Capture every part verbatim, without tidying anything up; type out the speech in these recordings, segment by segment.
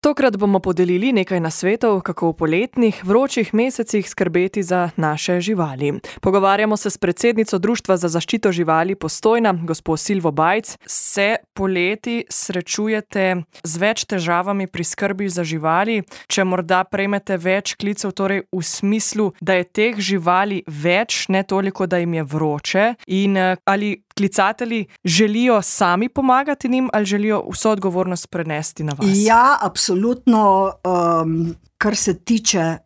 Tokrat bomo podelili nekaj nasvetov, kako v poletnih, vročih mesecih skrbeti za naše živali. Pogovarjamo se s predsednico Društva za zaščito živali Postojna, gospo Silvo Bajc. Se poleti srečujete z več težavami pri skrbi za živali, če morda prejmete več klicev, torej v smislu, da je teh živali več, ne toliko, da jim je vroče, in ali klicatelji želijo sami pomagati njim ali želijo vso odgovornost prenesti na vas? Ja, absolutno. Um, kar se tiče,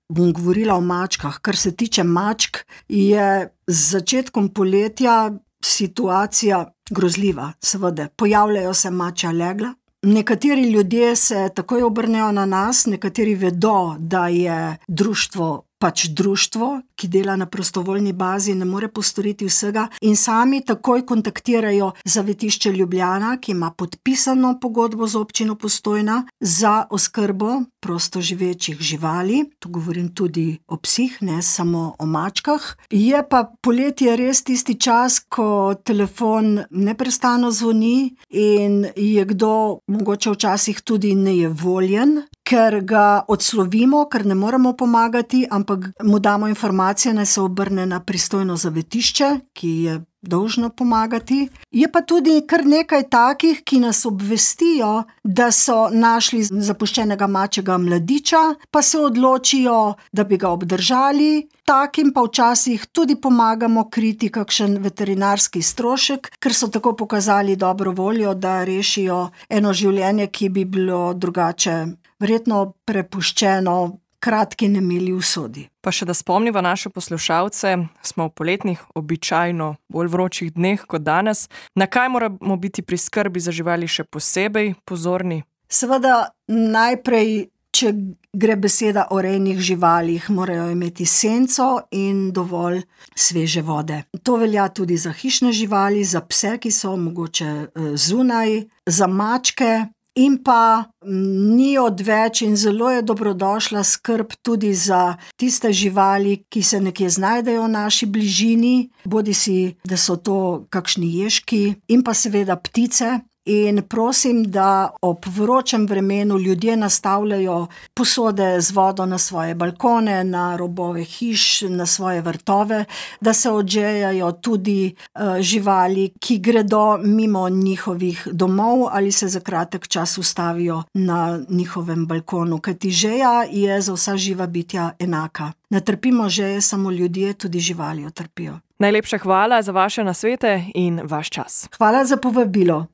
bom govorila o mačkah, kar se tiče mačk, je z začetkom poletja situacija grozljiva, seveda. Pojavljajo se mačja legla. Nekateri ljudje se takoj obrnejo na nas, nekateri vedo, da je društvo pač društvo, ki dela na prostovoljni bazi, ne more postoriti vsega in sami takoj kontaktirajo Zavetišče Ljubljana, ki ima podpisano pogodbo z občino Postojna za oskrbo prostoživečih živali. Tu govorim tudi o psih, ne samo o mačkah. Je pa poletje res tisti čas, ko telefon neprestano zvoni in je kdo mogoče včasih tudi nejevoljen, ker ga odslovimo, ker ne moremo pomagati, ampak mu damo informacije, naj se obrne na pristojno zavetišče, ki je dolžno pomagati. Je pa tudi kar nekaj takih, ki nas obvestijo, da so našli zapuščenega mačjega mladiča, pa se odločijo, da bi ga obdržali. Takim pa včasih tudi pomagamo kriti kakšen veterinarski strošek, ker so tako pokazali dobro voljo, da rešijo eno življenje, ki bi bilo drugače verjetno prepuščeno kratki nemili usodi. Pa še da spomniva naše poslušalce, smo v poletnih, običajno bolj vročih dneh kot danes. Na kaj moramo biti pri skrbi za živali še posebej pozorni? Seveda najprej, če gre beseda o rejnih živalih, morajo imeti senco in dovolj sveže vode. To velja tudi za hišne živali, za pse, ki so mogoče zunaj, za mačke. In pa ni odveč in zelo je dobrodošla skrb tudi za tiste živali, ki se nekje znajdejo v naši bližini, bodisi da so to kakšni ježki in pa seveda ptice. In prosim, da ob vročem vremenu ljudje nastavljajo posode z vodo na svoje balkone, na robove hiš, na svoje vrtove, da se odžejajo tudi uh, živali, ki gredo mimo njihovih domov ali se za kratek čas ustavijo na njihovem balkonu, kajti žeja je za vsa živa bitja enaka. Ne trpimo žeje samo ljudje, tudi živali jo trpijo. Najlepša hvala za vaše nasvete in vaš čas. Hvala za povabilo.